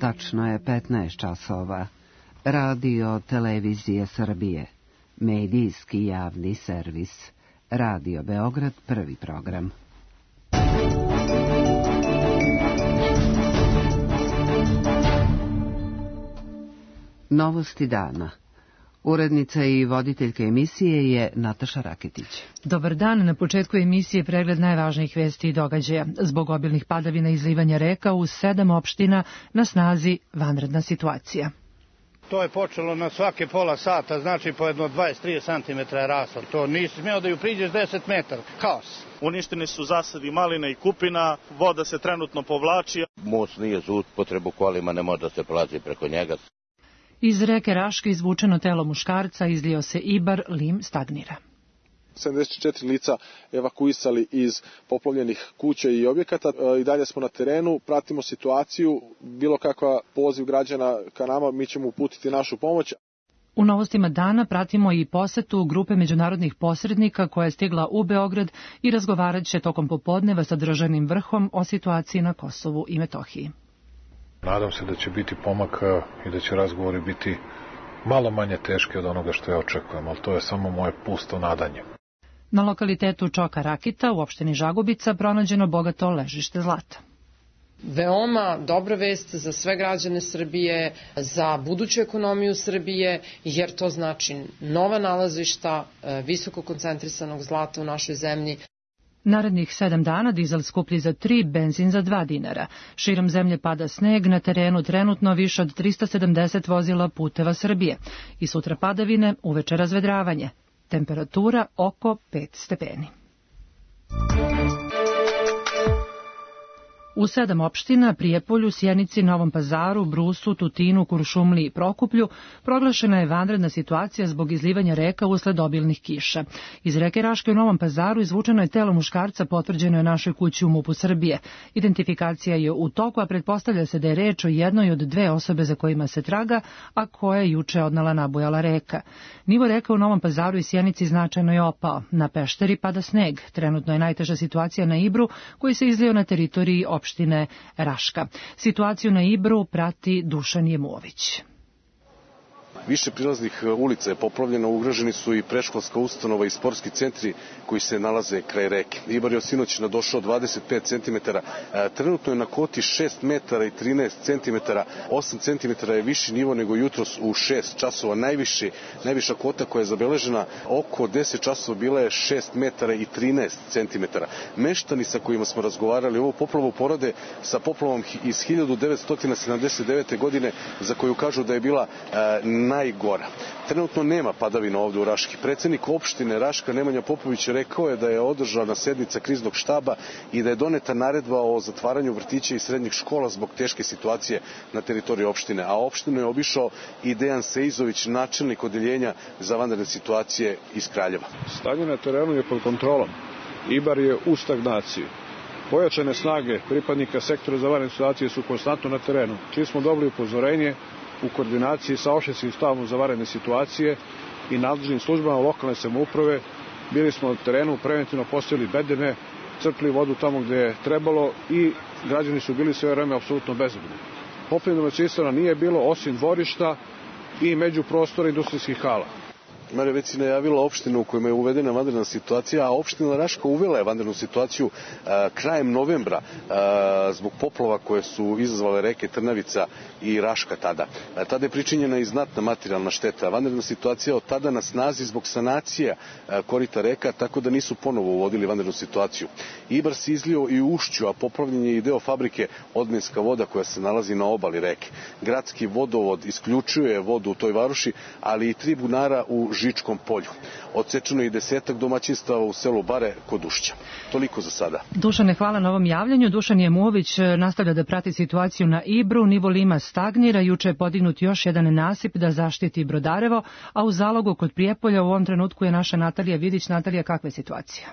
Tačno je 15 časova. Radio Televizije Srbije. Medijski javni servis. Radio Beograd, prvi program. Novosti dana. Urednica i voditeljka emisije je Nataša Raketić. Dobar dan, na početku emisije pregled najvažnijih vesti i događaja. Zbog obilnih padavina i izlivanja reka u 7 opština na snazi vanredna situacija. To je počelo na svake pola sata, znači po jedno 20-30 cm je raslo. To nisi smeo da ju priđeš 10 metara. Kaos. Uništeni su zasadi maline i kupina, voda se trenutno povlači. Most nije za upotrebu kolima, ne može da se prolazi preko njega. Iz reke Raške izvučeno telo muškarca, izlio se Ibar, Lim stagnira. 74 lica evakuisali iz poplavljenih kuća i objekata. I dalje smo na terenu, pratimo situaciju, bilo kakva poziv građana ka nama, mi ćemo uputiti našu pomoć. U novostima dana pratimo i posetu grupe međunarodnih posrednika koja je stigla u Beograd i razgovarat će tokom popodneva sa državnim vrhom o situaciji na Kosovu i Metohiji. Nadam se da će biti pomaka i da će razgovori biti malo manje teški od onoga što ja očekujem, ali to je samo moje pusto nadanje. Na lokalitetu Čoka Rakita u opštini Žagubica pronađeno bogato ležište zlata. Veoma dobra vest za sve građane Srbije, za buduću ekonomiju Srbije, jer to znači nova nalazišta visoko koncentrisanog zlata u našoj zemlji. Narednih 7 dana dizel skuplji za 3, benzin za 2 dinara. Širom zemlje pada sneg, na terenu trenutno više od 370 vozila puteva Srbije. I sutra padavine, uveče razvedravanje. Temperatura oko 5 stepeni. U 7 opština, Prijepolju, Sjenici, Novom Pazaru, Brusu, Tutinu, Kuršumliji i Prokuplju proglašena je vanredna situacija zbog izlivanja reka usled obilnih kiša. Iz reke Raške u Novom Pazaru izvučeno je telo muškarca, potvrđeno je našoj kući u MUP-u Srbije. Identifikacija je u toku, a pretpostavlja se da je reč o jednoj od 2 osobe za kojima se traga, a koja je juče odnela nabujala reka. Nivo reka u Novom Pazaru i Sjenici značajno je opao. Na Pešteri pada sneg. Trenutno je najteža situacija na Ibru, koji se izlio na teritoriji opštine Raška. Situaciju na Ibru prati Dušan Jemović. Više prilaznih ulica je poplavljeno, ugroženi su i predškolska ustanova i sportski centri koji se nalaze kraj reke. Ibar je od sinoć nadošao 25 cm, trenutno je na koti 6 metara i 13 cm, 8 cm je viši nivo nego jutros u 6 časova. Najviša kota koja je zabeležena oko 10 časova bila je 6 metara i 13 cm. Meštani sa kojima smo razgovarali ovu poplavu porode sa poplavom iz 1979. godine za koju kažu da je bila najgora. Trenutno nema padavina ovde u Raški. Predsednik opštine Raška Nemanja Popović rekao je da je održana sednica kriznog štaba i da je doneta naredba o zatvaranju vrtića i srednjih škola zbog teške situacije na teritoriji opštine. A opštinu je obišao i Dejan Seizović, načelnik odeljenja za vanredne situacije iz Kraljeva. Stanje na terenu je pod kontrolom. Ibar je u stagnaciji. Pojačane snage pripadnika sektora za vanredne situacije su konstantno na terenu. Čim smo dobili upozorenje, u koordinaciji sa opštinskim štabom za vanredne situacije i nadležnim službama lokalne samouprave bili smo na terenu, preventivno postavili bedeme, crpili vodu tamo gde je trebalo i građani su bili sve vreme apsolutno bezbedni. Poplavljenog domaćinstva nije bilo osim dvorišta i međuprostora industrijskih hala. Marija već si najavila opštinu u kojima je uvedena vanredna situacija, a opština Raška uvela je vanrednu situaciju krajem novembra zbog poplava koje su izazvale reke Trnavica i Raška tada. Tada je pričinjena i znatna materijalna šteta. Vanredna situacija od tada na snazi zbog sanacija korita reka, tako da nisu ponovo uvodili vanrednu situaciju. Ibar se izlio i u ušću, a poplavljen je i deo fabrike Odmenska voda koja se nalazi na obali reke. Gradski vodovod isključuje vodu u toj varoši, ali i 3 bunara u Žičkom polju. Odsečeno je i 10 domaćinstava u selu Bare kod Ušća. Toliko za sada. Dušane, hvala na ovom javljanju. Dušan Jemović nastavlja da prati situaciju na Ibru. Nivo Lima stagnira. Juče je podignut još jedan nasip da zaštiti Brodarevo, a u Zalogu kod Prijepolja u ovom trenutku je naša Natalija Vidić. Natalija, kakva je situacija?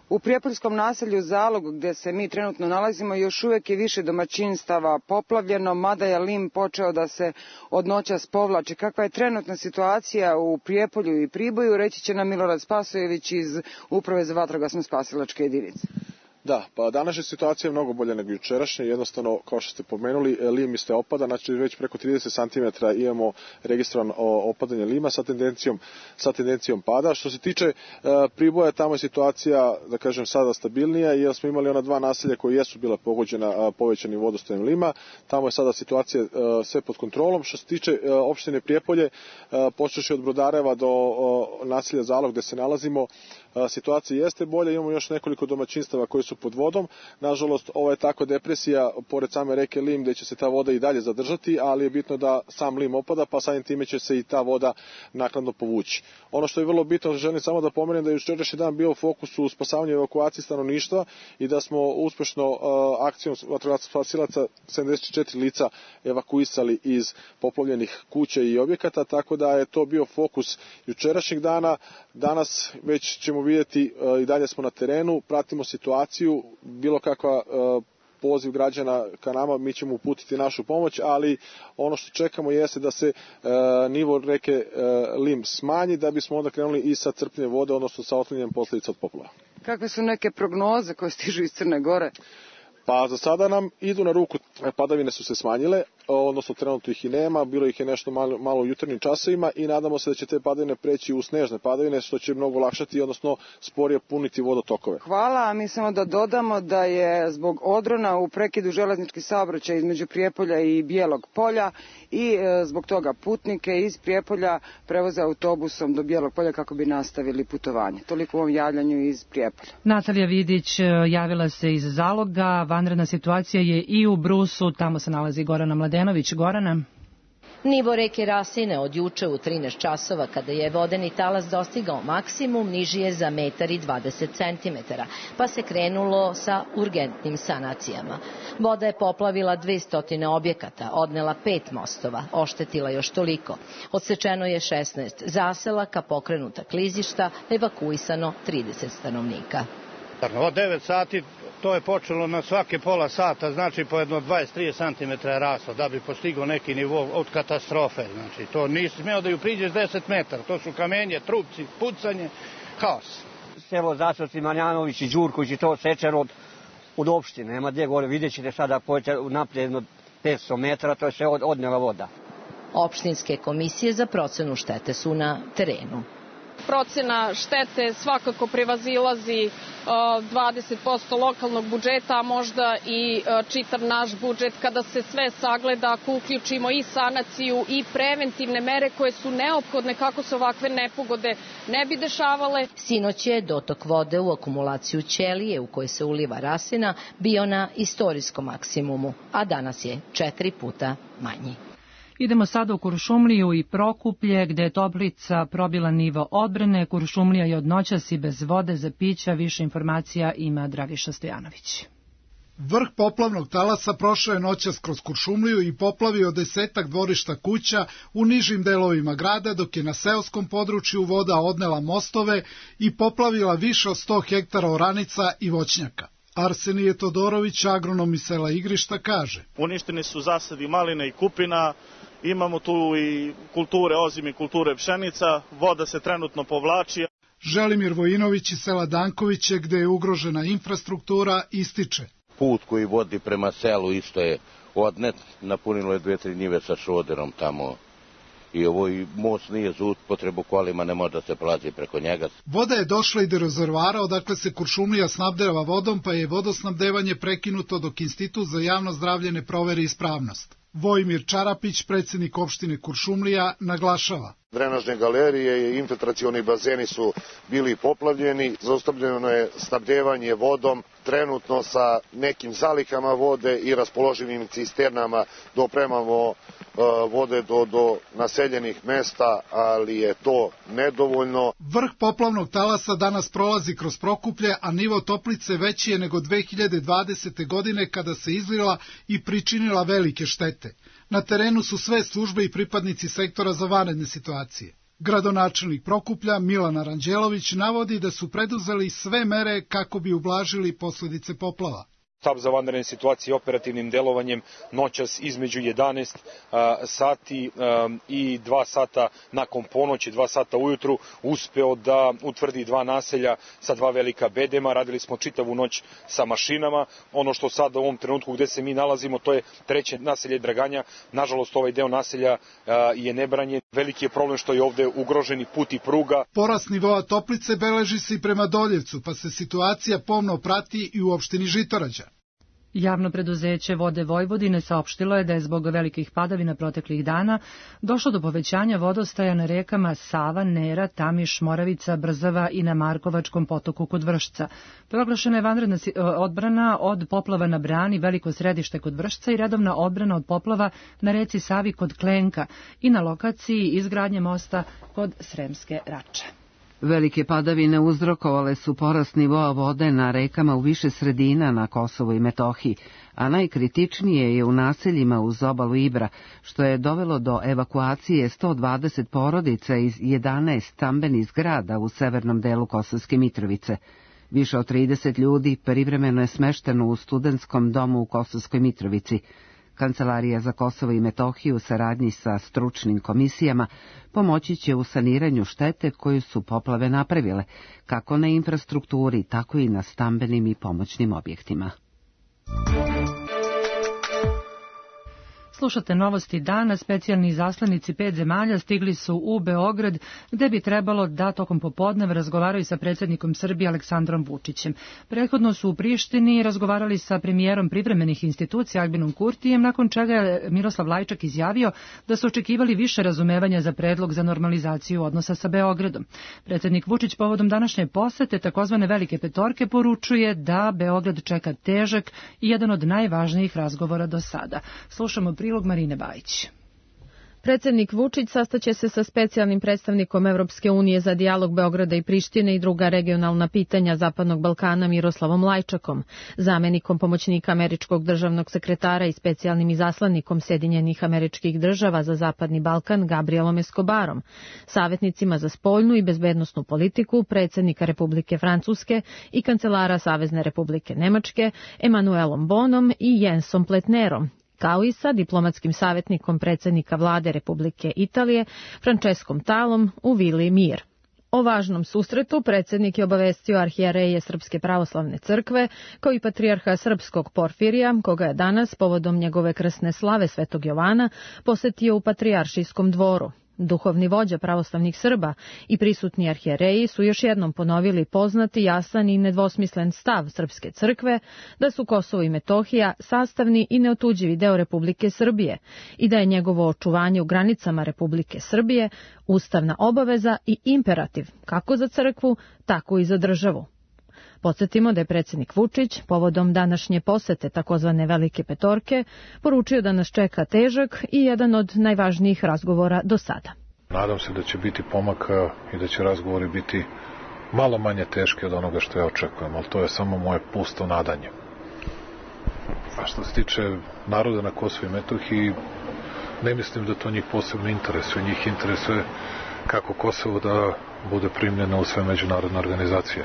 U prijepoljskom naselju Zalog, gde se mi trenutno nalazimo, još uvek je više domaćinstava poplavljeno, mada je lim počeo da se od noćas povlači. Kakva je trenutna situacija u Prijepolju i Priboju, reći će nam Milorad Spasojević iz Uprave za vatrogasno spasilačke jedinice. Da, pa današnja situacija je mnogo bolja nego jučerašnja, jednostavno, kao što ste pomenuli, lim isto opada, znači već preko 30 cm imamo registrovano opadanje lima sa tendencijom pada. Što se tiče Priboja, tamo je situacija, da kažem, sada stabilnija, jer smo imali ona dva naselja koje jesu bila pogođena povećanim vodostajem lima, tamo je sada situacija sve pod kontrolom. Što se tiče opštine Prijepolje, počevši od Brodareva do naselja Zalog gde se nalazimo, situacija jeste bolja, imamo još nekoliko domaćinstava koji su pod vodom. Nažalost, ovo je takva depresija pored same reke Lim gde će se ta voda i dalje zadržati, ali je bitno da sam Lim opada, pa samim time će se i ta voda naknadno povući. Ono što je vrlo bitno, želim samo da pomenem da je jučerašnji dan bio u fokusu spasavanja i evakuacije stanovništva i da smo uspešno akcijom vatrogasnih spasilaca 74 lica evakuisali iz poplavljenih kuća i objekata, tako da je to bio fokus jučerašnjeg dana. Danas već ćemo vidjeti, i dalje smo na terenu, pratimo situaciju, bilo kakva poziv građana ka nama, mi ćemo uputiti našu pomoć, ali ono što čekamo jeste da se nivo reke Lim smanji, da bismo onda krenuli i sa crpljenjem vode, odnosno sa otklanjanjem posledica od poplava. Kakve su neke prognoze koje stižu iz Crne Gore? Pa za sada nam idu na ruku, padavine su se smanjile, odnosno trenutno ih i nema, bilo ih je nešto malo u jutarnjim časovima i nadamo se da će te padavine preći u snežne padavine, što će mnogo olakšati, odnosno sporije puniti vodotokove. Hvala, a mi samo da dodamo da je zbog odrona u prekidu železnički saobraćaj između Prijepolja i Bijelog Polja i zbog toga putnike iz Prijepolja prevoze autobusom do Bijelog Polja kako bi nastavili putovanje. Toliko u ovom javljanju iz Prijepolja. Natalija Vidić javila se iz Zaloga. Vanredna situacija je i u Brusu, tamo se nalazi Gorana Mladenović. Gorana. Nivo reke Rasine od juče u 13 časova, kada je vodeni talas dostigao maksimum, niži je za 1,20 cm, pa se krenulo sa urgentnim sanacijama. Voda je poplavila 200 objekata, odnela 5 mostova, oštetila još toliko. Odsečeno je 16 zaselaka, pokrenuta klizišta, evakuisano 30 stanovnika. Od 9 sati to je počelo na svake pola sata, znači po jedno 20-30 cm je raslo, da bi postigao neki nivo od katastrofe. Znači, to nisi smeo da ju priđeš 10 metara, to su kamenje, trupci, pucanje, haos. Selo Zasovci, Marjanović i Đurković i to sečer od opštine, nema gdje gore, vidjet ćete sada naprijed 500 metara, to je sve odnela voda. Opštinske komisije za procenu štete su na terenu. Procena štete svakako prevazilazi 20% lokalnog budžeta, a možda i čitav naš budžet kada se sve sagleda, ako uključimo i sanaciju i preventivne mere koje su neophodne kako se ovakve nepogode ne bi dešavale. Sinoć je dotok vode u akumulaciju Ćelije u kojoj se uliva Rasina bio na istorijskom maksimumu, a danas je 4 puta manji. Idemo sada u Kuršumliju i Prokuplje, gde je Toplica probila nivo odbrane. Kuršumlija je od noćas i bez vode za pića. Više informacija ima Dragiša Stojanović. Vrh poplavnog talasa prošao je noćas kroz Kuršumliju i poplavio 10-ak dvorišta kuća u nižim delovima grada, dok je na seoskom području voda odnela mostove i poplavila više od 100 hektara oranica i voćnjaka. Arsenije Todorović, agronom iz sela Igrišta, kaže: Uništeni su zasadi maline i kupina, imamo tu i kulture ozime i kulture pšenica, voda se trenutno povlači. Želimir Vojinović iz sela Dankoviće, gde je ugrožena infrastruktura, ističe: Put koji vodi prema selu isto je odnet, napunilo je 2-3 njive sa šoderom tamo. I ovo most nije za upotrebu kolima, ne može da se prolazi preko njega. Voda je došla i do rezervoara odakle se Kuršumlija snabdeva vodom, pa je vodosnabdevanje prekinuto dok Institut za javno zdravlje ne proveri ispravnost. Vojmir Čarapić, predsjednik opštine Kuršumlija, naglašava: Drenažne galerije i infiltracioni bazeni su bili poplavljeni, zaustavljeno je snabdevanje vodom, trenutno sa nekim zalihama vode i raspoloživim cisternama dopremamo vode do naseljenih mesta, ali je to nedovoljno. Vrh poplavnog talasa danas prolazi kroz Prokuplje, a nivo Toplice veći je nego 2020. godine kada se izlila i pričinila velike štete. Na terenu su sve službe i pripadnici sektora za vanredne situacije. Gradonačelnik Prokuplja Milan Aranđelović navodi da su preduzeli sve mere kako bi ublažili posledice poplava. Štab za vanredne situacije operativnim delovanjem noćas između 11 sati i 2 sata nakon ponoći, 2 sata ujutru, uspeo da utvrdi 2 naselja sa 2 velika bedema. Radili smo čitavu noć sa mašinama. Ono što sada u ovom trenutku gde se mi nalazimo, to je 3. naselje Draganja. Nažalost, ovaj deo naselja je nebranjen. Veliki je problem što je ovde ugroženi put i pruga. Porast nivoa Toplice beleži se i prema Doljevcu, pa se situacija pomno prati i u opštini Žitorađa. Javno preduzeće Vode Vojvodine saopštilo je da je zbog velikih padavina proteklih dana došlo do povećanja vodostaja na rekama Sava, Nera, Tamiš, Moravica, Brzava i na Markovačkom potoku kod Vršca. Proglašena je vanredna odbrana od poplava na Brani, Veliko Središte kod Vršca i redovna odbrana od poplava na reci Savi kod Klenka i na lokaciji izgradnje mosta kod Sremske Rače. Velike padavine uzrokovale su porast nivoa vode na rekama u više sredina na Kosovu i Metohiji, a najkritičnije je u naseljima uz obalu Ibra, što je dovelo do evakuacije 120 porodica iz 11 stambenih zgrada u severnom delu Kosovske Mitrovice. Više od 30 ljudi privremeno je smešteno u studentskom domu u Kosovskoj Mitrovici. Kancelarija za Kosovo i Metohiju u saradnji sa stručnim komisijama pomoći će u saniranju štete koju su poplave napravile, kako na infrastrukturi, tako i na stambenim i pomoćnim objektima. Slušate novosti dana. Specijalni izaslanici 5 zemalja stigli su u Beograd, gde bi trebalo da tokom popodneva razgovaraju sa predsjednikom Srbije Aleksandrom Vučićem. Prethodno su u Prištini razgovarali sa premijerom privremenih institucija Albinom Kurtijem, nakon čega je Miroslav Lajčak izjavio da su očekivali više razumevanja za predlog za normalizaciju odnosa sa Beogradom. Predsjednik Vučić povodom današnje posete takozvane Velike petorke poručuje da Beograd čeka težak i jedan od najvažnijih razgovora do sada. Slušamo prilog Marine Bajić. Predsjednik Vučić sastaće se sa specijalnim predstavnikom Evropske unije za dijalog Beograda i Prištine i druga regionalna pitanja Zapadnog Balkana Miroslavom Lajčakom, zamenikom pomoćnika američkog državnog sekretara i specijalnim izaslanikom Sjedinjenih Američkih Država za Zapadni Balkan Gabrielom Escobarom, savjetnicima za spoljnu i bezbednosnu politiku predsjednika Republike Francuske i kancelara Savezne Republike Nemačke Emanuelom Bonom i Jensom Pletnerom, kao i sa diplomatskim savjetnikom predsjednika vlade Republike Italije Franceskom Talom u Vili Mir. O važnom susretu predsjednik je obavestio arhijereje Srpske pravoslavne crkve, kao i patrijarha srpskog Porfirija, koga je danas povodom njegove krsne slave Svetog Jovana posetio u patrijaršijskom dvoru. Duhovni vođa pravoslavnih Srba i prisutni arhijereji su još jednom ponovili poznati, jasan i nedvosmislen stav Srpske crkve da su Kosovo i Metohija sastavni i neotuđivi deo Republike Srbije i da je njegovo očuvanje u granicama Republike Srbije ustavna obaveza i imperativ kako za crkvu, tako i za državu. Podsjetimo da je predsjednik Vučić povodom današnje posete takozvane Velike petorke poručio da nas čeka težak i jedan od najvažnijih razgovora do sada. Nadam se da će biti pomaka i da će razgovori biti malo manje teški od onoga što ja očekujem, ali to je samo moje pusto nadanje. A što se tiče naroda na Kosovu i Metohiji, ne mislim da to njih posebno interesuje. Njih interesuje kako Kosovo da bude primljeno u sve međunarodne organizacije.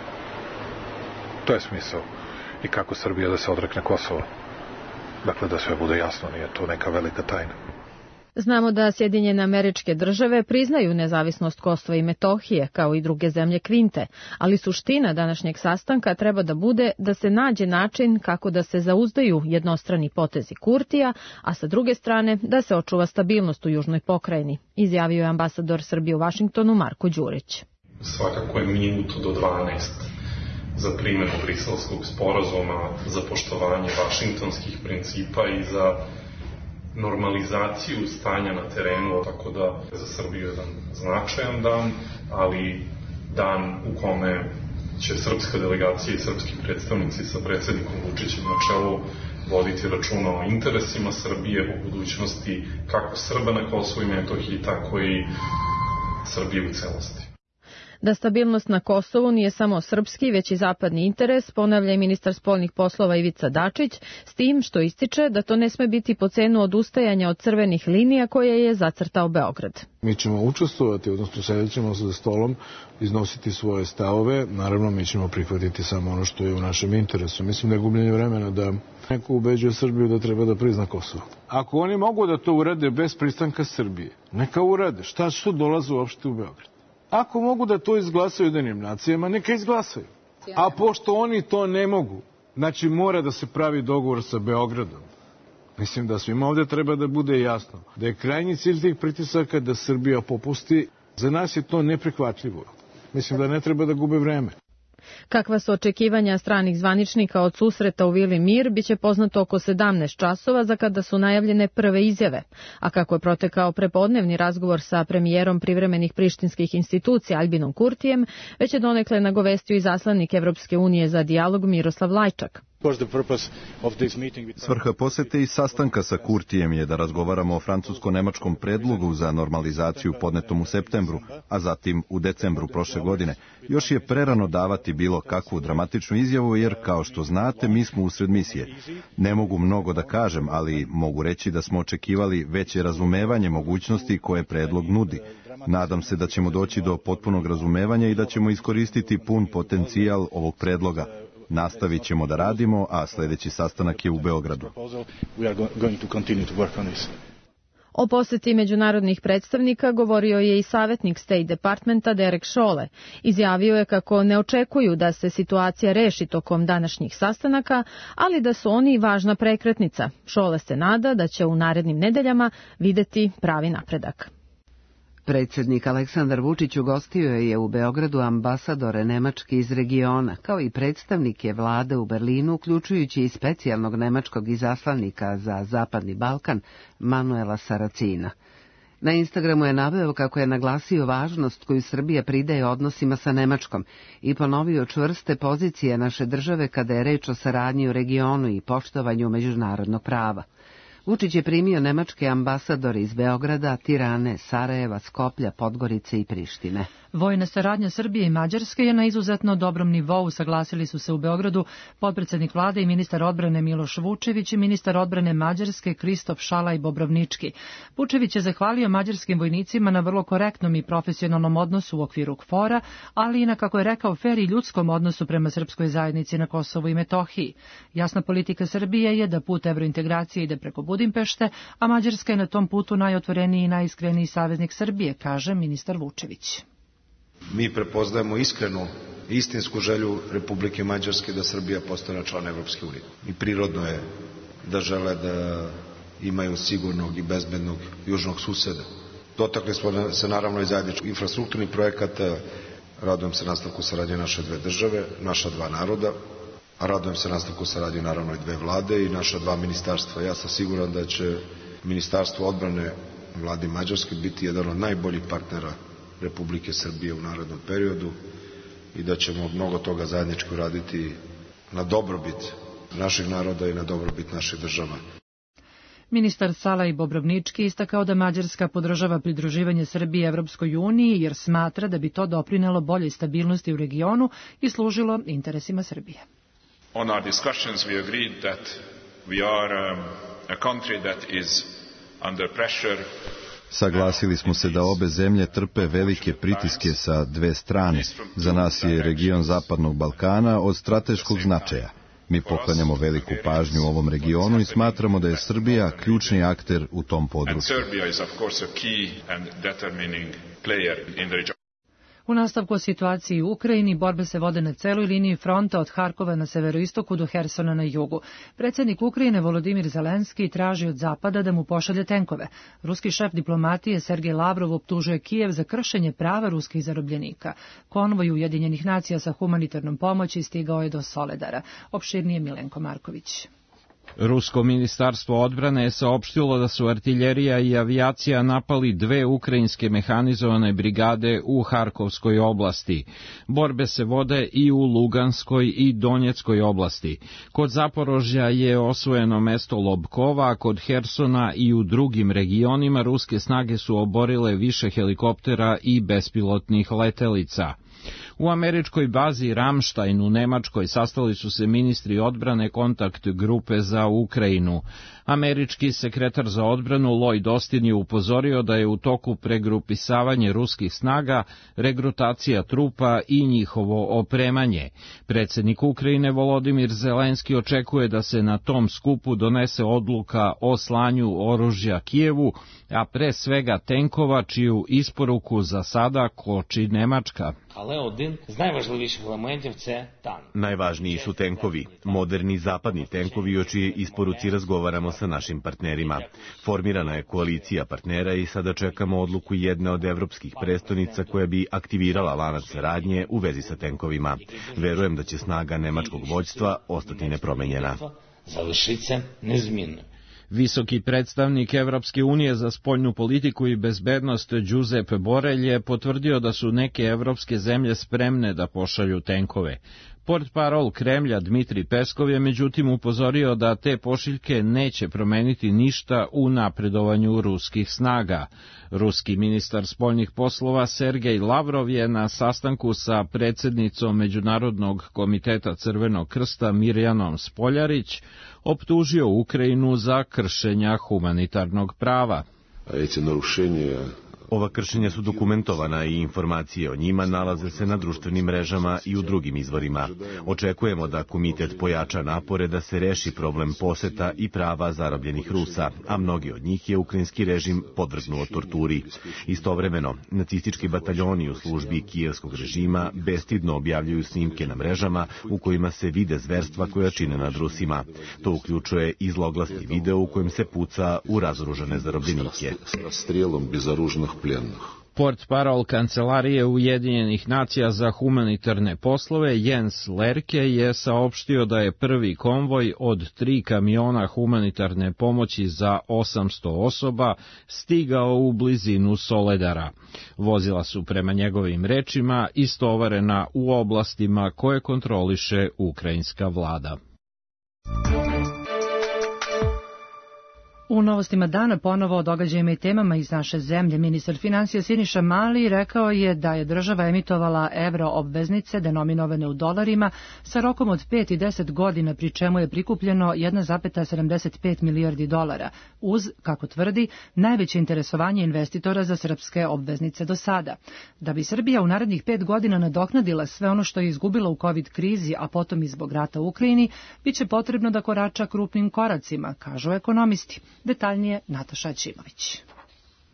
To je smisao. I kako Srbija da se odrekne Kosova. Dakle, da sve bude jasno, nije to neka velika tajna. Znamo da Sjedinjene Američke Države priznaju nezavisnost Kosova i Metohije, kao i druge zemlje Kvinte, ali suština današnjeg sastanka treba da bude da se nađe način kako da se zauzdaju jednostrani potezi Kurtija, a sa druge strane da se očuva stabilnost u južnoj pokrajini, izjavio je ambasador Srbije u Vašingtonu Marko Đurić. Svakako je minuto do 12 za primjenu Briselskog sporazuma, za poštovanje vašingtonskih principa i za normalizaciju stanja na terenu, tako da za Srbiju je jedan značajan dan, ali dan u kome će srpska delegacija i srpski predstavnici sa predsjednikom Vučićem na čelu voditi računa o interesima Srbije, o budućnosti kako Srba na Kosovu i Metohiji, tako i Srbije u celosti. Da stabilnost na Kosovu nije samo srpski, već i zapadni interes, ponavlja i ministar spoljnih poslova Ivica Dačić, s tim što ističe da to ne sme biti po cenu odustajanja od crvenih linija koje je zacrtao Beograd. Mi ćemo učestvovati, odnosno sedjet ćemo se za stolom, iznositi svoje stavove, naravno mi ćemo prihvatiti samo ono što je u našem interesu. Mislim da je gubljenje vremena da neko ubeđuje Srbiju da treba da prizna Kosovo. Ako oni mogu da to urade bez pristanka Srbije, neka urade. Šta su dolaze uopšte u Beograd? Ako mogu da to izglasaju Ujedinjenim nacijama, neka izglasaju. A pošto oni to ne mogu, znači mora da se pravi dogovor sa Beogradom. Mislim da svima ovdje treba da bude jasno da je krajnji cilj tih pritisaka da Srbija popusti. Za nas je to neprihvatljivo. Mislim da ne treba da gube vreme. Kakva su očekivanja stranih zvaničnika od susreta u Vili Mir biće poznato oko 17 časova za kada su najavljene prve izjave. A kako je protekao prepodnevni razgovor sa premijerom privremenih prištinskih institucija Albinom Kurtijem, već je donekle nagovestio i zaslanik Evropske unije za dijalog Miroslav Lajčak. Svrha posete i sastanka sa Kurtijem je da razgovaramo o francusko-nemačkom predlogu za normalizaciju podnetom u septembru, a zatim u decembru prošle godine. Još je prerano davati bilo kakvu dramatičnu izjavu jer, kao što znate, mi smo usred misije. Ne mogu mnogo da kažem, ali mogu reći da smo očekivali veće razumevanje mogućnosti koje predlog nudi. Nadam se da ćemo doći do potpunog razumevanja i da ćemo iskoristiti pun potencijal ovog predloga. Nastavit ćemo da radimo, a sljedeći sastanak je u Beogradu. O poseti međunarodnih predstavnika govorio je i savjetnik State Departmenta Derek Chollet. Izjavio je kako ne očekuju da se situacija reši tokom današnjih sastanaka, ali da su oni važna prekretnica. Chollet se nada da će u narednim nedeljama videti pravi napredak. Predsjednik Aleksandar Vučić ugostio je u Beogradu ambasadore Nemačke iz regiona, kao i predstavnike vlade u Berlinu, uključujući i specijalnog nemačkog izaslanika za Zapadni Balkan, Manuela Saracina. Na Instagramu je naveo kako je naglasio važnost koju Srbija pridaje odnosima sa Nemačkom i ponovio čvrste pozicije naše države kada je reč o saradnji u regionu i poštovanju međunarodnog prava. Vučić je primio nemačke ambasadore iz Beograda, Tirane, Sarajeva, Skoplja, Podgorice i Prištine. Vojna saradnja Srbije i Mađarske je na izuzetno dobrom nivou, saglasili su se u Beogradu potpredsednik vlade i ministar odbrane Miloš Vučević i ministar odbrane Mađarske Kristof Šalaj Bobrovnički. Vučević je zahvalio mađarskim vojnicima na vrlo korektnom i profesionalnom odnosu u okviru KFOR-a, ali i na, kako je rekao, fer i ljudskom odnosu prema srpskoj zajednici na Kosovu i Metohiji. Jasna politika Srbije je da put evrointegracije ide preko Budimpešte, a Mađarska je na tom putu najotvoreniji i najiskreniji saveznik Srbije, kaže ministar Vučević. Mi prepoznajemo iskrenu i istinsku želju Republike Mađarske da Srbija postane član Evropske unije. I prirodno je da žele da imaju sigurnog i bezbednog južnog suseda. Dotakli smo se naravno i zajedničkih infrastrukturnih projekata, radujem se nastavku saradnje naše dve države, naša dva naroda, a radujem se nastavku saradnje naravno i dve vlade i naša dva ministarstva. Ja sam siguran da će Ministarstvo odbrane vlade Mađarske biti jedan od najboljih partnera Republike Srbije u narednom periodu i da ćemo mnogo toga zajednički uraditi na dobrobit naših naroda i na dobrobit naših država. Ministar Šalaj Bobrovnički istakao da Mađarska podržava pridruživanje Srbije Evropskoj uniji jer smatra da bi to doprinelo boljoj stabilnosti u regionu i služilo interesima Srbije. On our discussions we agreed that we are a country that is under pressure. Saglasili smo se da obe zemlje trpe velike pritiske sa dve strane. Za nas je region Zapadnog Balkana od strateškog značaja. Mi poklanjamo veliku pažnju ovom regionu i smatramo da je Srbija ključni akter u tom području. U nastavku o situaciji u Ukrajini borbe se vode na celoj liniji fronta od Harkova na severoistoku do Hersona na jugu. Predsjednik Ukrajine Volodimir Zelenski traži od Zapada da mu pošalje tenkove. Ruski šef diplomatije Sergej Lavrov optužuje Kijev za kršenje prava ruskih zarobljenika. Konvoj Ujedinjenih nacija sa humanitarnom pomoći stigao je do Soledara. Opširnije Milenko Marković. Rusko ministarstvo odbrane je saopštilo da su artiljerija i avijacija napali 2 ukrajinske mehanizovane brigade u Harkovskoj oblasti. Borbe se vode i u Luganskoj i Donjeckoj oblasti. Kod Zaporožja je osvojeno mesto Lobkova, a kod Hersona i u drugim regionima ruske snage su oborile više helikoptera i bespilotnih letelica. U američkoj bazi Ramstein u Nemačkoj sastali su se ministri odbrane kontakt grupe za Ukrajinu. Američki sekretar za odbranu Lloyd Austin je upozorio da je u toku pregrupisavanje ruskih snaga, regrutacija trupa i njihovo opremanje. Predsjednik Ukrajine Volodimir Zelenski očekuje da se na tom skupu donese odluka o slanju oružja Kijevu, a pre svega tenkova čiju isporuku za sada koči Nemačka. Najvažniji su tenkovi, moderni zapadni tenkovi o čije isporuci razgovaramo sa našim partnerima. Formirana je koalicija partnera i sada čekamo odluku jedne od evropskih prestonica koja bi aktivirala lanac saradnje u vezi sa tenkovima. Verujem da će snaga nemačkog vođstva ostati nepromenjena. Visoki predstavnik Evropske unije za spoljnu politiku i bezbednost Giuseppe Borrell je potvrdio da su neke evropske zemlje spremne da pošalju tenkove. Portparol Kremlja Dmitri Peskov je međutim upozorio da te pošiljke neće promeniti ništa u napredovanju ruskih snaga. Ruski ministar spoljnih poslova Sergej Lavrov je na sastanku sa predsjednicom Međunarodnog komiteta Crvenog krsta Mirjanom Spoljarić optužio Ukrajinu za kršenja humanitarnog prava. Ova kršenja su dokumentovana i informacije o njima nalaze se na društvenim mrežama i u drugim izvorima. Očekujemo da komitet pojača napore da se reši problem poseta i prava zarobljenih Rusa, a mnogi od njih je ukrajinski režim podvrgnuo torturi. Istovremeno, nacistički bataljoni u službi kijevskog režima bestidno objavljuju snimke na mrežama u kojima se vide zverstva koja čine nad Rusima. To uključuje i zloglasni video u kojem se puca u razoružane zarobljenike. Portparol Kancelarije Ujedinjenih nacija za humanitarne poslove Jens Lerke je saopštio da je prvi konvoj od 3 kamiona humanitarne pomoći za 800 osoba stigao u blizinu Soledara. Vozila su prema njegovim rečima istovarena u oblastima koje kontroliše ukrajinska vlada. U novostima dana ponovo o događajima i temama iz naše zemlje. Ministar financija Siniša Mali rekao je da je država emitovala evro obveznice denominovane u dolarima sa rokom od 5 i 10 godina, pri čemu je prikupljeno 1,75 milijardi dolara, uz, kako tvrdi, najveće interesovanje investitora za srpske obveznice do sada. Da bi Srbija u narednih 5 godina nadoknadila sve ono što je izgubila u COVID krizi, a potom i zbog rata u Ukrajini, biće potrebno da korača krupnim koracima, kažu ekonomisti. Detaljnije Nataša Ćimović.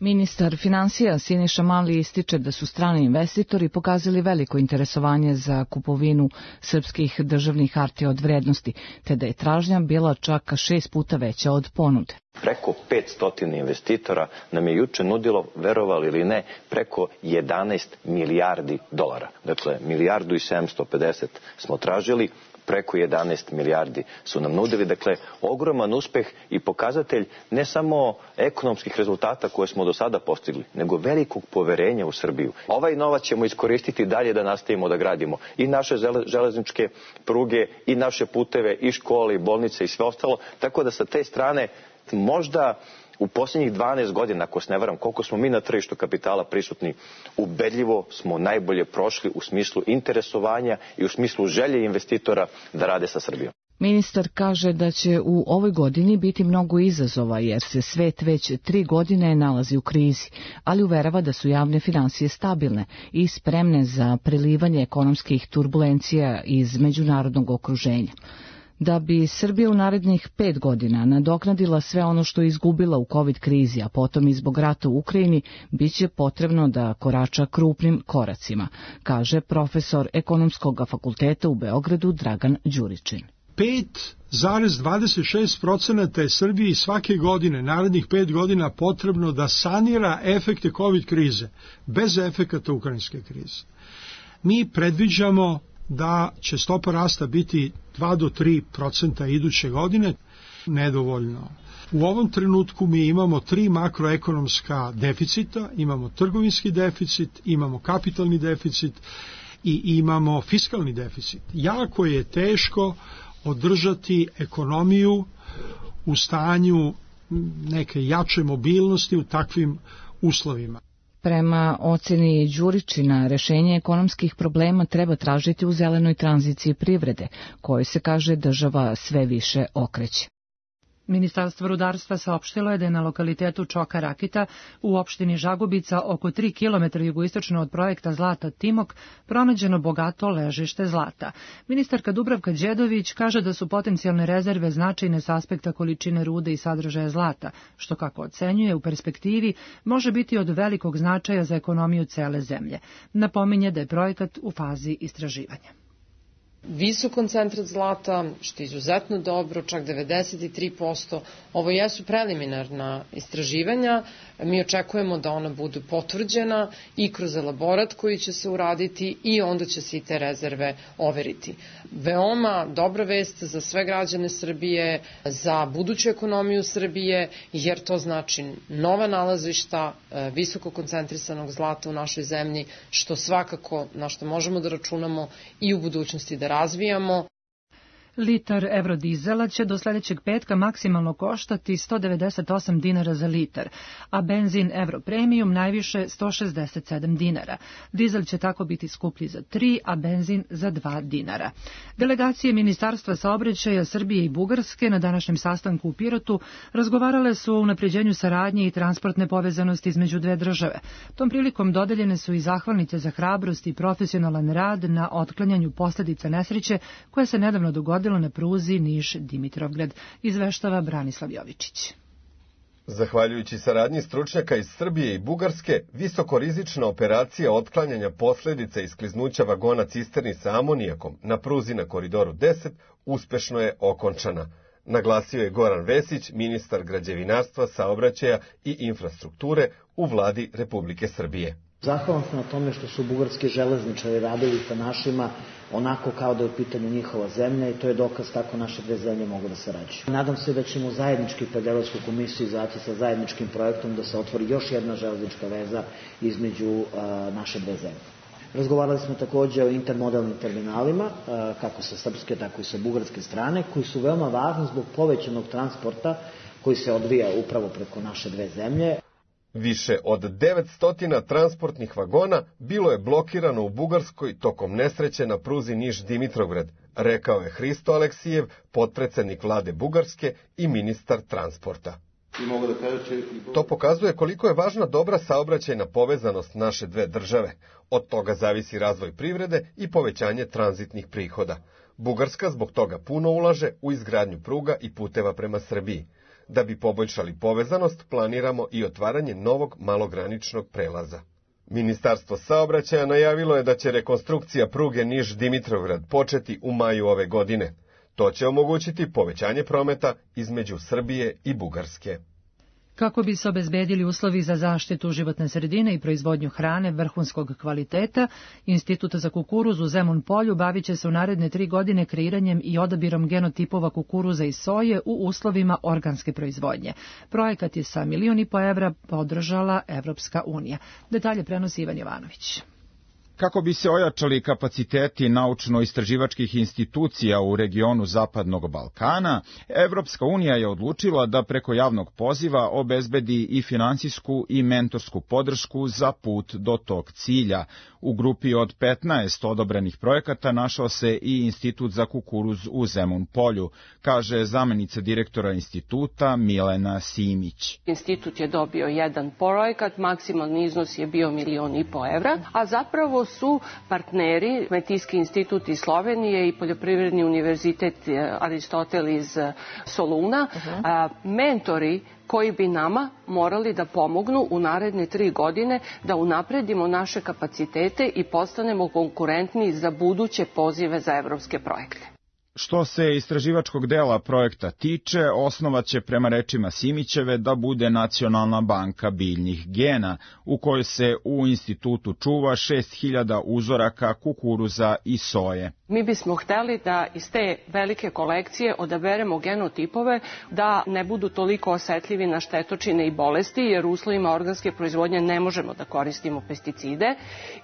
Ministar financija Siniša Mali ističe da su strani investitori pokazali veliko interesovanje za kupovinu srpskih državnih hartija od vrednosti, te da je tražnja bila čak 6 puta veća od ponude. Preko 500 investitora nam je juče nudilo, verovali ili ne, preko 11 milijardi dolara. Dakle, 1.750.000.000 smo tražili, preko 11 milijardi su nam nudili. Dakle, ogroman uspeh i pokazatelj ne samo ekonomskih rezultata koje smo do sada postigli, nego velikog poverenja u Srbiju. Ovaj novac ćemo iskoristiti dalje da nastavimo da gradimo i naše železničke pruge, i naše puteve, i škole, i bolnice, i sve ostalo. Tako da sa te strane možda u posljednjih 12 godina, ako se ne varam, koliko smo mi na tržištu kapitala prisutni, ubedljivo smo najbolje prošli u smislu interesovanja i u smislu želje investitora da rade sa Srbijom. Ministar kaže da će u ovoj godini biti mnogo izazova jer se svet već 3 godine nalazi u krizi, ali uverava da su javne finansije stabilne i spremne za prelivanje ekonomskih turbulencija iz međunarodnog okruženja. Da bi Srbija u narednih 5 godina nadoknadila sve ono što je izgubila u COVID krizi, a potom i zbog rata u Ukrajini, biće potrebno da korača krupnim koracima, kaže profesor Ekonomskog fakulteta u Beogradu Dragan Đuričin. 5,26% je Srbiji svake godine, narednih 5 godina, potrebno da sanira efekte COVID krize, bez efekata ukrajinske krize. Mi predviđamo da će stopa rasta biti 2 do 3% iduće godine, nedovoljno. U ovom trenutku mi imamo 3 makroekonomska deficita, imamo trgovinski deficit, imamo kapitalni deficit i imamo fiskalni deficit. Jako je teško održati ekonomiju u stanju neke jače mobilnosti u takvim uslovima. Prema oceni Đuričina, rešenje ekonomskih problema treba tražiti u zelenoj tranziciji privrede, kojoj se kaže država sve više okreće. Ministarstvo rudarstva saopštilo je da je na lokalitetu Čoka Rakita u opštini Žagubica oko 3 km jugoistočno od projekta Zlata Timok pronađeno bogato ležište zlata. Ministarka Dubravka Đedović kaže da su potencijalne rezerve značajne s aspekta količine rude i sadržaja zlata, što kako ocenjuje u perspektivi može biti od velikog značaja za ekonomiju cele zemlje. Napominje da je projekat u fazi istraživanja. Visok koncentrat zlata, što je izuzetno dobro, čak 93%. Ovo jesu preliminarna istraživanja. Mi očekujemo da ona budu potvrđena i kroz elaborat koji će se uraditi i onda će se i te rezerve overiti. Veoma dobra vest za sve građane Srbije, za buduću ekonomiju Srbije, jer to znači nova nalazišta visoko koncentrisanog zlata u našoj zemlji, što svakako na što možemo da računamo i u budućnosti da razvijamo. Litar eurodizela će do sledećeg petka maksimalno koštati 198 dinara za litar, a benzin Europremium najviše 167 dinara. Dizel će tako biti skuplji za 3, a benzin za 2 dinara. Delegacije Ministarstva saobraćaja Srbije i Bugarske na današnjem sastanku u Pirotu razgovarale su o unapređenju saradnje i transportne povezanosti između dve države. Tom prilikom dodeljene su i zahvalnice za hrabrost i profesionalan rad na otklanjanju posledica nesreće koja se nedavno dogodila na pruzi Niš-Dimitrovgrad, izveštava Branislav Jovičić. Zahvaljujući saradnji stručnjaka iz Srbije i Bugarske, visokorizična operacija otklanjanja posledica iskliznuća vagona cisterni sa amonijakom na pruzi na Koridoru 10 uspešno je okončana. Naglasio je Goran Vesić, ministar građevinarstva, saobraćaja i infrastrukture u vladi Republike Srbije. Zahvalan sam na tome što su bugarski železničari radili sa našima onako kao da je u pitanju njihova zemlja i to je dokaz kako naše dve zemlje mogu da sarađuju. Nadam se da ćemo zajednički pred Evropsku komisiju izaći sa zajedničkim projektom da se otvori još jedna železnička veza između naše dve zemlje. Razgovarali smo takođe o intermodalnim terminalima, kako sa srpske, tako i sa bugarske strane, koji su veoma važni zbog povećanog transporta koji se odvija upravo preko naše dve zemlje. Više od 900 transportnih vagona bilo je blokirano u Bugarskoj tokom nesreće na pruzi Niš-Dimitrovgrad, rekao je Hristo Aleksijev, potpredsednik vlade Bugarske i ministar transporta. To pokazuje koliko je važna dobra saobraćajna povezanost naše dve države. Od toga zavisi razvoj privrede i povećanje tranzitnih prihoda. Bugarska zbog toga puno ulaže u izgradnju pruga i puteva prema Srbiji. Da bi poboljšali povezanost, planiramo i otvaranje novog malograničnog prelaza. Ministarstvo saobraćaja najavilo je da će rekonstrukcija pruge Niš-Dimitrovgrad početi u maju ove godine. To će omogućiti povećanje prometa između Srbije i Bugarske. Kako bi se obezbedili uslovi za zaštitu životne sredine i proizvodnju hrane vrhunskog kvaliteta, Institut za kukuruz u Zemun Polju bavit će se u naredne 3 godine kreiranjem i odabirom genotipova kukuruza i soje u uslovima organske proizvodnje. Projekat je sa $1,5 miliona podržala Evropska unija. Detalje prenosi Ivan Jovanović. Kako bi se ojačali kapaciteti naučno-istraživačkih institucija u regionu Zapadnog Balkana, Evropska unija je odlučila da preko javnog poziva obezbedi i finansijsku i mentorsku podršku za put do tog cilja. U grupi od 15 odobrenih projekata našao se i Institut za kukuruz u Zemun Polju, kaže zamenica direktora instituta Milena Simić. Institut je dobio jedan projekat, maksimalni iznos je bio $1,5 miliona, a zapravo su partneri Kmetijski institut iz Slovenije i Poljoprivredni univerzitet Aristotel iz Soluna, mentori koji bi nama morali da pomognu u naredne 3 godine da unapredimo naše kapacitete i postanemo konkurentni za buduće pozive za evropske projekte. Što se istraživačkog dela projekta tiče, osnova će prema rečima Simićeve da bude Nacionalna banka biljnih gena, u kojoj se u institutu čuva 6000 uzoraka kukuruza i soje. Mi bismo hteli da iz te velike kolekcije odaberemo genotipove da ne budu toliko osetljivi na štetočine i bolesti, jer u uslovima organske proizvodnje ne možemo da koristimo pesticide.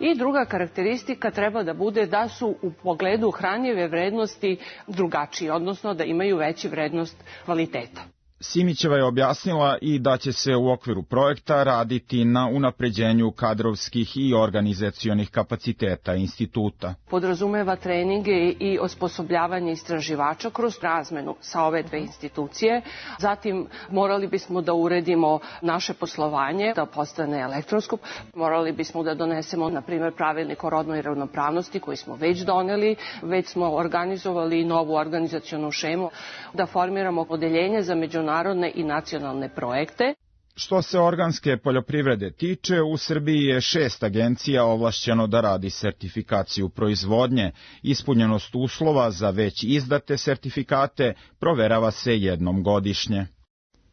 I druga karakteristika treba da bude da su u pogledu hranjive vrednosti drugačiji, odnosno da imaju veću vrednost kvaliteta. Simićeva je objasnila i da će se u okviru projekta raditi na unapređenju kadrovskih i organizacionih kapaciteta instituta. Podrazumeva treninge i osposobljavanje istraživača kroz razmenu sa ove dve institucije. Zatim morali bismo da uredimo naše poslovanje, da postane elektronsko. Morali bismo da donesemo, na primjer, pravilnik o rodnoj ravnopravnosti koji smo već doneli. Već smo organizovali novu organizacionu šemu, da formiramo odeljenje za međunarodne i nacionalne projekte. Što se organske poljoprivrede tiče, u Srbiji je 6 agencija ovlašćeno da radi sertifikaciju proizvodnje. Ispunjenost uslova za već izdate sertifikate proverava se jednom godišnje.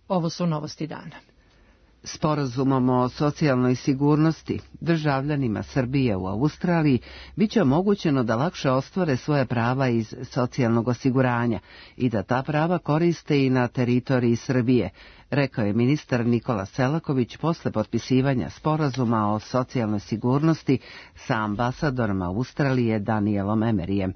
Ovo su novosti dana. Sporazumom o socijalnoj sigurnosti državljanima Srbije u Australiji biće omogućeno da lakše ostvare svoje prava iz socijalnog osiguranja i da ta prava koriste i na teritoriji Srbije, rekao je ministar Nikola Selaković posle potpisivanja sporazuma o socijalnoj sigurnosti sa ambasadorom Australije Danielom Emeryjem.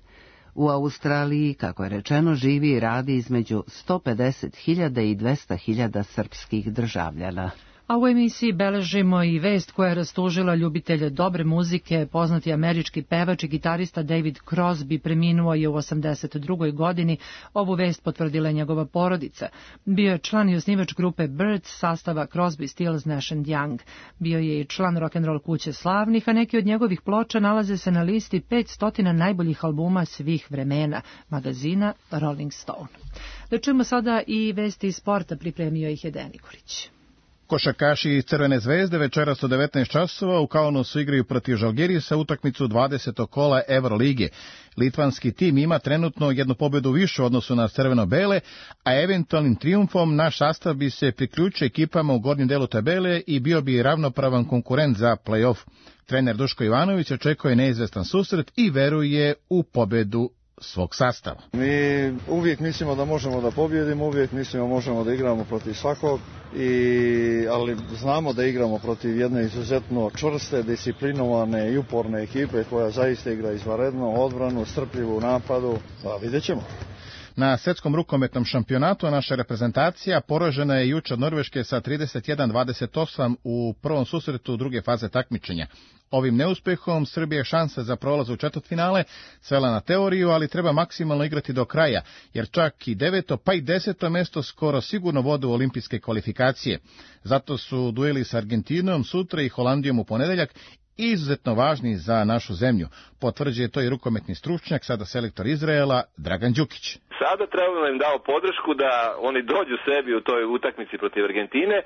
U Australiji, kako je rečeno, živi i radi između 150.000 i 200.000 srpskih državljana. A u emisiji beležimo i vest koja je rastužila ljubitelje dobre muzike. Poznati američki pevač i gitarista David Crosby preminuo je u 82. godini. Ovu vest potvrdila je njegova porodica. Bio je član i osnivač grupe Birds sastava Crosby, Stills, Nash & Young. Bio je i član rock'n'roll kuće slavnih, a neki od njegovih ploča nalaze se na listi 500 najboljih albuma svih vremena magazina Rolling Stone. Da čujemo sada i vesti iz sporta, pripremio ih je Dejan Nikolić. Košarkaši Crvene zvezde večeras u 19 časova u Kaunasu igraju protiv Žalgirisa utakmicu 20. kola Evrolige. Litvanski tim ima trenutno jednu pobedu više u odnosu na crveno-bele, a eventualnim trijumfom naš sastav bi se priključio ekipama u gornjem delu tabele i bio bi ravnopravan konkurent za play-off. Trener Duško Ivanović očekuje neizvestan susret i veruje u pobedu svog sastava. Mi uvijek mislimo da možemo da pobjedimo, uvijek mislimo možemo da igramo protiv svakog, ali znamo da igramo protiv jedne izuzetno čvrste, disciplinovane i uporne ekipe koja zaista igra izvanredno, odbranu, strpljivu u napadu, pa vidjet ćemo. Na svetskom rukometnom šampionatu naša reprezentacija poražena je juče od Norveške sa 31-28 u prvom susretu druge faze takmičenja. Ovim neuspehom Srbija šanse za prolaz u četvrtfinale svela na teoriju, ali treba maksimalno igrati do kraja, jer čak i 9. pa i 10. mesto skoro sigurno vode u olimpijske kvalifikacije. Zato su dueli sa Argentinom sutra i Holandijom u ponedeljak izuzetno važni za našu zemlju. Potvrđuje to i rukometni stručnjak, sada selektor Izraela, Dragan Đukić. Sada trebamo da im dao podršku da oni dođu sebi u toj utakmici protiv Argentine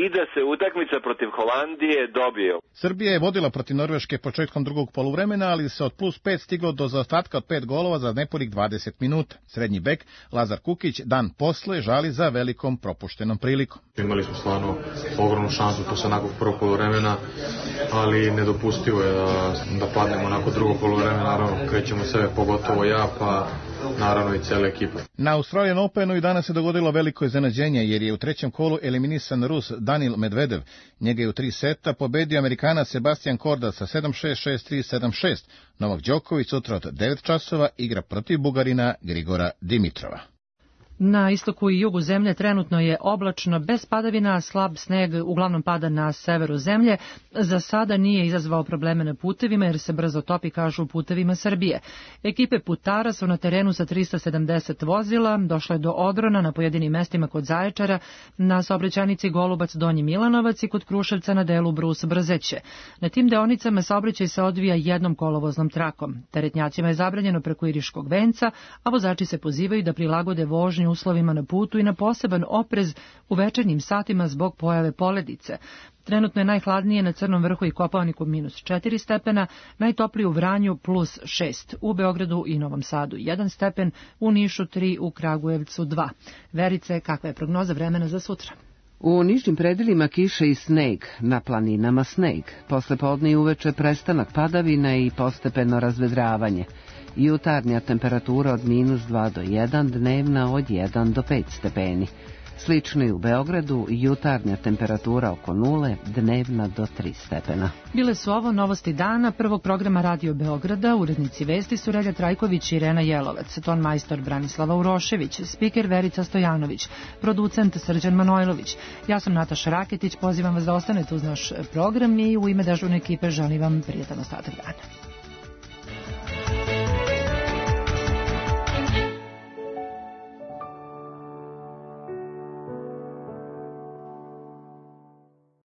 i da se utakmica protiv Holandije dobije. Srbija je vodila protiv Norveške početkom drugog poluvremena, ali se od +5 stiglo do zaostatka od 5 golova za nepunih 20 minuta. Srednji bek Lazar Kukić dan posle žali za velikom propuštenom prilikom. Imali smo stvarno ogromnu šansu posle nakog prvog poluvremena, ali nedopustivo je da padnemo nakon drugog poluvremena. Naravno, krećemo sebe, pogotovo ja, pa naravno i cela ekipa. Na Australian Openu i danas se dogodilo veliko iznenađenje, jer je u trećem kolu eliminisan Rus Danil Medvedev. Njega je u 3 seta pobedio Amerikanac Sebastian Korda sa 7-6, 6-3, 7-6. Novak Đoković sutra od 9 časova igra protiv Bugarina Grigora Dimitrova. Na istoku i jugu zemlje trenutno je oblačno, bez padavina, slab sneg uglavnom pada na severu zemlje. Za sada nije izazvao probleme na putevima jer se brzo topi, kažu u Putevima Srbije. Ekipe putara su na terenu sa 370 vozila, došle do odrona na pojedinim mestima kod Zaječara, na saobraćajnici Golubac Donji Milanovac i kod Kruševca na delu Brus Brzeće. Na tim deonicama saobraćaj se odvija jednom kolovoznom trakom. Teretnjacima je zabranjeno preko Iriškog venca, a vozači se pozivaju da prilagode vožnju pažnju uslovima na putu i na poseban oprez u večernjim satima zbog pojave poledice. Trenutno je najhladnije na Crnom vrhu i Kopaoniku -4 stepena, najtoplije u Vranju +6, u Beogradu i Novom Sadu 1 stepen, u Nišu 3, u Kragujevcu 2. Verice, kakva je prognoza vremena za sutra? U nižim predelima kiše i sneg, na planinama sneg. Posle podne i uveče prestanak padavina i postepeno razvedravanje. Jutarnja temperatura od -2 do 1, dnevna od 1 do 5 stepeni. Slično i u Beogradu, jutarnja temperatura oko 0, dnevna do 3 stepena. Bile su ovo novosti dana prvog programa Radio Beograda, urednici vesti su Relja Trajković i Irena Jelovac, ton majstor Branislava Urošević, spiker Verica Stojanović, producent Srđan Manojlović. Ja sam Nataša Raketić, pozivam vas da ostanete uz naš program i u ime dežurne ekipe želim vam prijatan ostatak dana.